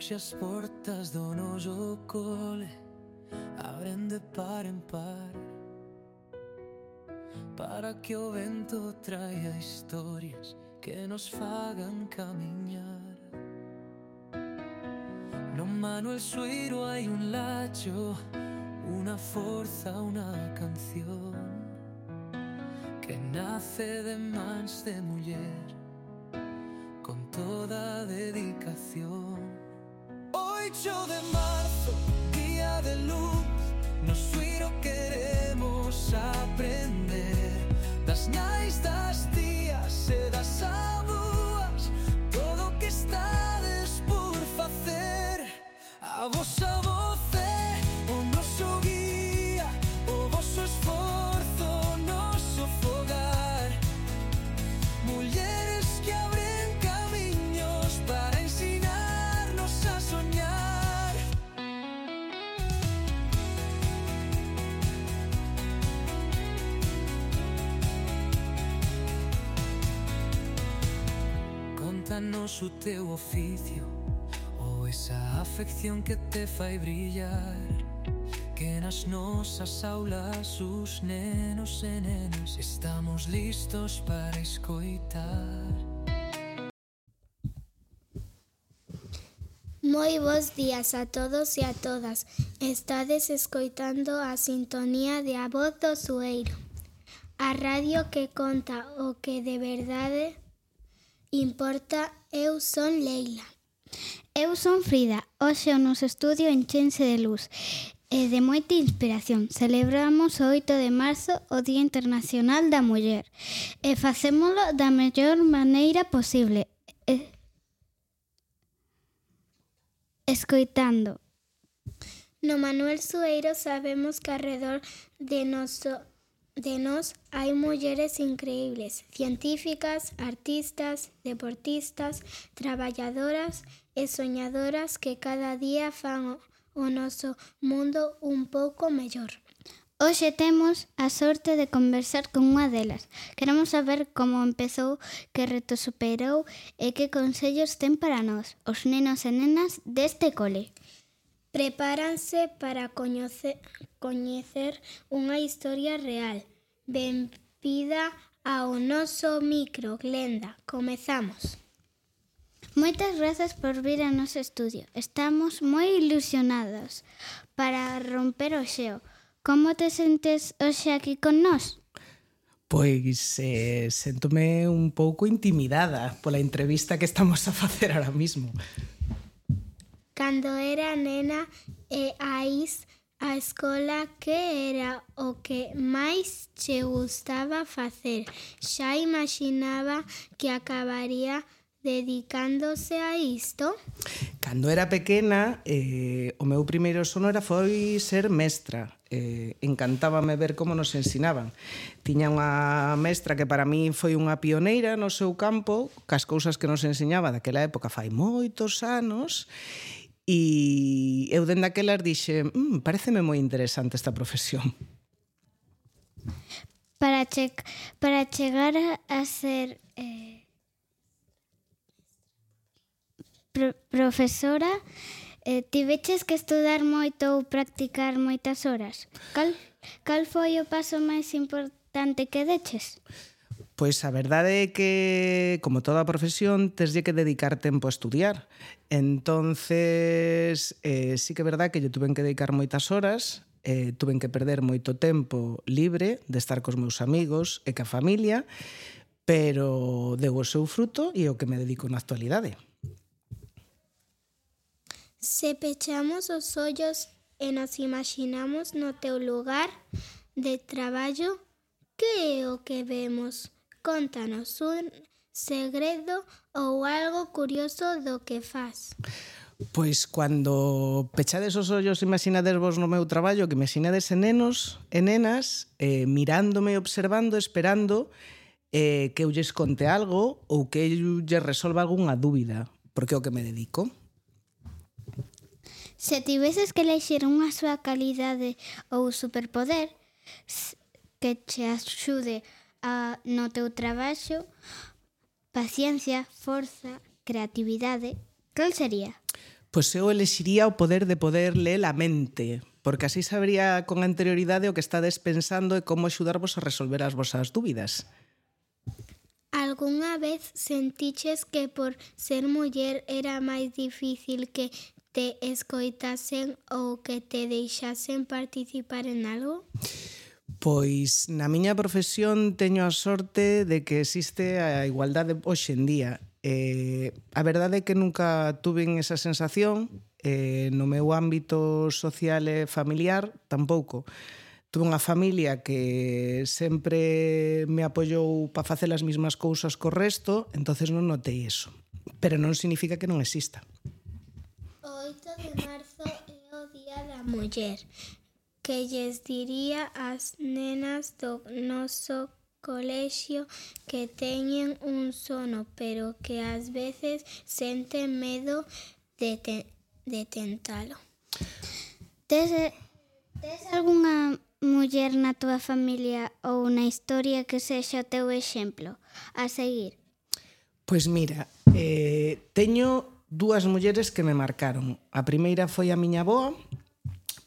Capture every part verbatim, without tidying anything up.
se as portas do noso cole abren de par en par, para que o vento traia historias que nos fagan camiñar. No Manuel Sueiro hai un lacho, unha forza, unha canción que nace de mans de muller con toda dedicación. Oito de marzo, día de luz, no Sueiro queremos aprender das nais, das tías e das abúas, todo o que estades por facer. A vosa voz é o noso guía, o voso esforzo, o noso fogar. Mulleres que abren camiños para ensinarnos a soñar. Contanos o teu oficio, esa afección que te fai brillar, que nas nosas aulas os nenos e nenas estamos listos para escoitar. Moi bos días a todos e a todas. Estades escoitando a sintonía de A Voz do Sueiro, a radio que conta o que de verdade importa. Eu son Leila. Eu son Frida. Hoxe o noso estudio enchense de luz e de moita inspiración. Celebramos o oito de marzo, o Día Internacional da Muller, e facémolo da mellor maneira posible, e... escoitando. No Manuel Sueiro sabemos que arredor de noso de nós hai mulleres increíbles, científicas, artistas, deportistas, traballadoras e soñadoras que cada día fan o, o noso mundo un pouco mellor. Hoxe temos a sorte de conversar con unha delas. Queremos saber como empezou, que reto superou e que consellos ten para nós, os nenos e nenas deste cole. Prepáranse para coñecer, coñecer unha historia real. Benvida ao noso micro, Glenda. Comezamos. Moitas grazas por vir ao noso estudio. Estamos moi ilusionados para romper o xeo. Como te sentes hoxe aquí con nós? Pois eh, séntome un pouco intimidada pola entrevista que estamos a facer ahora mismo. Cando era nena e ais a escola, que era o que máis che gustaba facer? Xa imaginaba que acabaría dedicándose a isto? Cando era pequena, eh, o meu primeiro sono era foi ser mestra. Eh, encantábame ver como nos ensinaban. Tiña unha mestra que para mí foi unha pioneira no seu campo, cas cousas que nos enseñaba daquela época fai moitos anos, e eu dende aquelas dixe, mmm, pareceme moi interesante esta profesión. Para, che para chegar a, a ser eh, pro profesora, eh, tiveches que estudar moito ou practicar moitas horas. Cal, cal foi o paso máis importante que deches? Pois a verdade é que, como toda profesión, teslle que dedicar tempo a estudiar. Entonces, eh, sí que é verdade que yo tuven que dedicar moitas horas, eh, tuven que perder moito tempo libre de estar cos meus amigos e ca familia, pero deu o seu fruto e o que me dedico na actualidade. Se pechamos os ollos e nos imaginamos no teu lugar de traballo, que é o que vemos? Contanos un segredo ou algo curioso do que fas. Pois cando pechades os ollos, imaginades vos no meu traballo, que imaginades en nenos e nenas eh, mirándome, observando, esperando eh, que eu lles conte algo ou que eu lles resolva algunha dúbida, porque é o que me dedico. Se tiveses que elexir unha súa calidade ou superpoder que che axude a, no teu traballo, paciencia, forza, creatividade, cal sería? Pois eu elexiría o poder de poder ler a mente, porque así sabría con anterioridade o que estades pensando e como axudarvos a resolver as vosas dúbidas. Algúnha vez sentiches que por ser muller era máis difícil que te escoitasen ou que te deixasen participar en algo? Pois na miña profesión teño a sorte de que existe a igualdade hoxe en día. Eh, a verdade é que nunca tuve esa sensación, eh, no meu ámbito social e familiar tampouco. Tuve unha familia que sempre me apoiou para facer as mesmas cousas co resto, entonces non notei eso. Pero non significa que non exista. O oito de marzo é o Día da Muller. Que lles diría ás nenas do noso colexio que teñen un sono, pero que ás veces senten medo de, te, de tentalo? Tes, tes algunha muller na tua familia ou na historia que sexa o teu exemplo a seguir? Pois mira, eh, teño dúas mulleres que me marcaron. A primeira foi a miña avoa,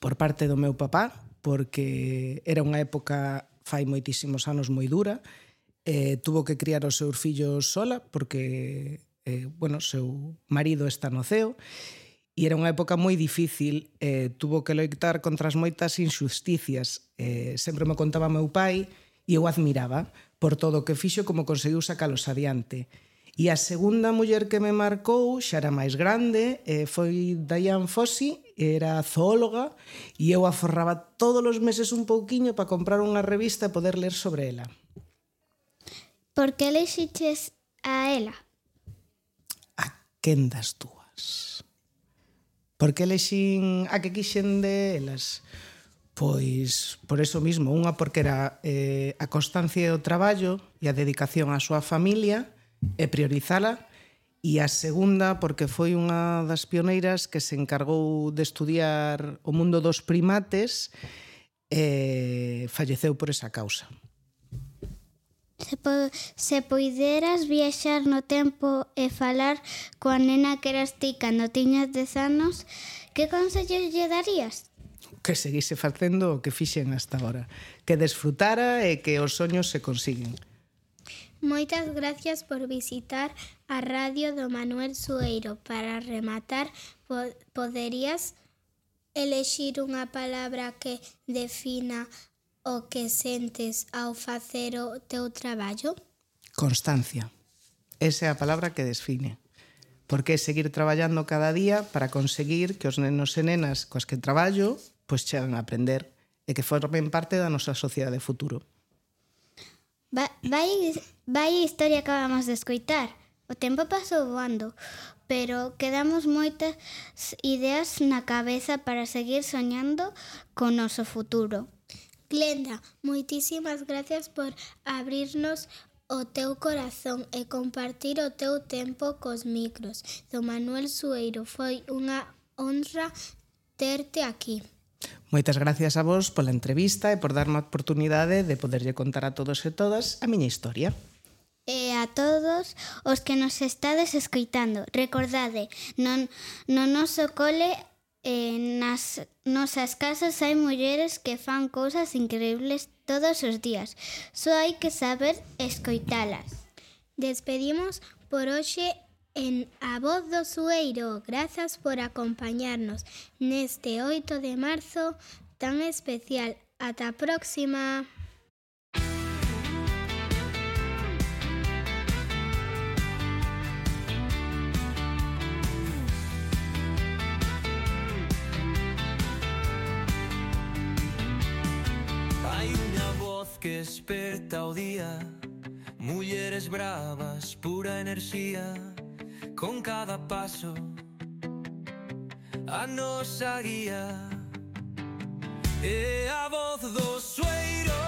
por parte do meu papá, porque era unha época fai moitísimos anos moi dura, eh, tuvo que criar os seus fillos sola porque eh, bueno, seu marido está no ceo e era unha época moi difícil, eh, tuvo que loitar contra as moitas injusticias, eh, sempre me contaba meu pai e eu admiraba por todo o que fixo como conseguiu sacalos adiante. E a segunda muller que me marcou xa era máis grande, eh, foi Diane Fossey, era zoóloga, e eu aforraba todos os meses un pouquiño para comprar unha revista e poder ler sobre ela. Por que elixiches a ela? A quen das túas? Por que elixin a que quixen de elas? Pois por eso mismo, unha porque era eh, a constancia do traballo e a dedicación á súa familia, e priorizala, e a segunda porque foi unha das pioneiras que se encargou de estudiar o mundo dos primates e falleceu por esa causa. Se, po se poideras viaxar no tempo e falar coa nena que eras ti cando tiñas dez anos, que consellos lle darías? Que seguise facendo o que fixen hasta agora, que desfrutara e que os soños se consiguen. Moitas gracias por visitar a radio do Manuel Sueiro. Para rematar, po poderías elexir unha palabra que defina o que sentes ao facer o teu traballo? Constancia. Esa é a palabra que define. Porque é seguir traballando cada día para conseguir que os nenos e nenas coas que traballo pois chegan a aprender e que formen parte da nosa sociedade futuro. Va, vai, vai a historia que acabamos de escoitar. O tempo pasou voando, pero quedamos moitas ideas na cabeza para seguir soñando con noso futuro. Glenda, moitísimas gracias por abrirnos o teu corazón e compartir o teu tempo cos micros do Manuel Sueiro. Foi unha honra terte aquí. Moitas gracias a vos pola entrevista e por darme a oportunidade de poderlle contar a todos e todas a miña historia. E a todos os que nos estades escoitando, recordade, non, no noso cole e nas nosas casas hai mulleres que fan cousas increíbles todos os días. Só hai que saber escoitalas. Despedimos por hoxe en A Voz do Sueiro. Grazas por acompañarnos neste oito de marzo tan especial. Ata a próxima. Hai unha voz que esperta o día, mulleres bravas, pura enerxía. Con cada paso a nosa guía é a voz do Sueiro,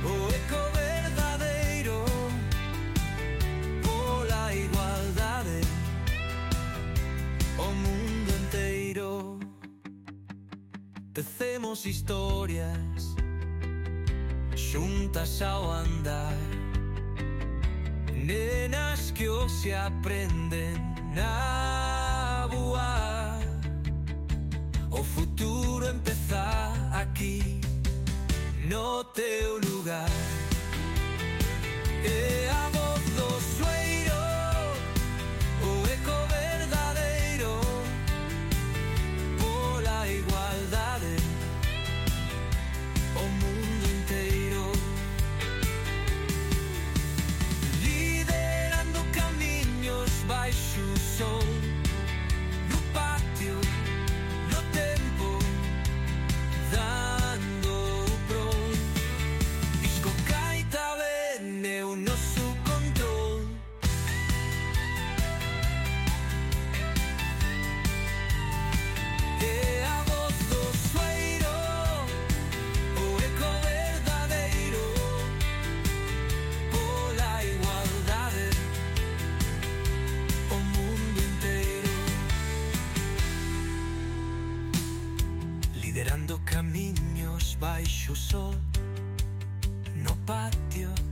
o eco verdadeiro pola igualdade, o mundo enteiro. Tecemos historias xuntas ao andar, nenas que hoxe aprenden a voar. baixo o sol no patio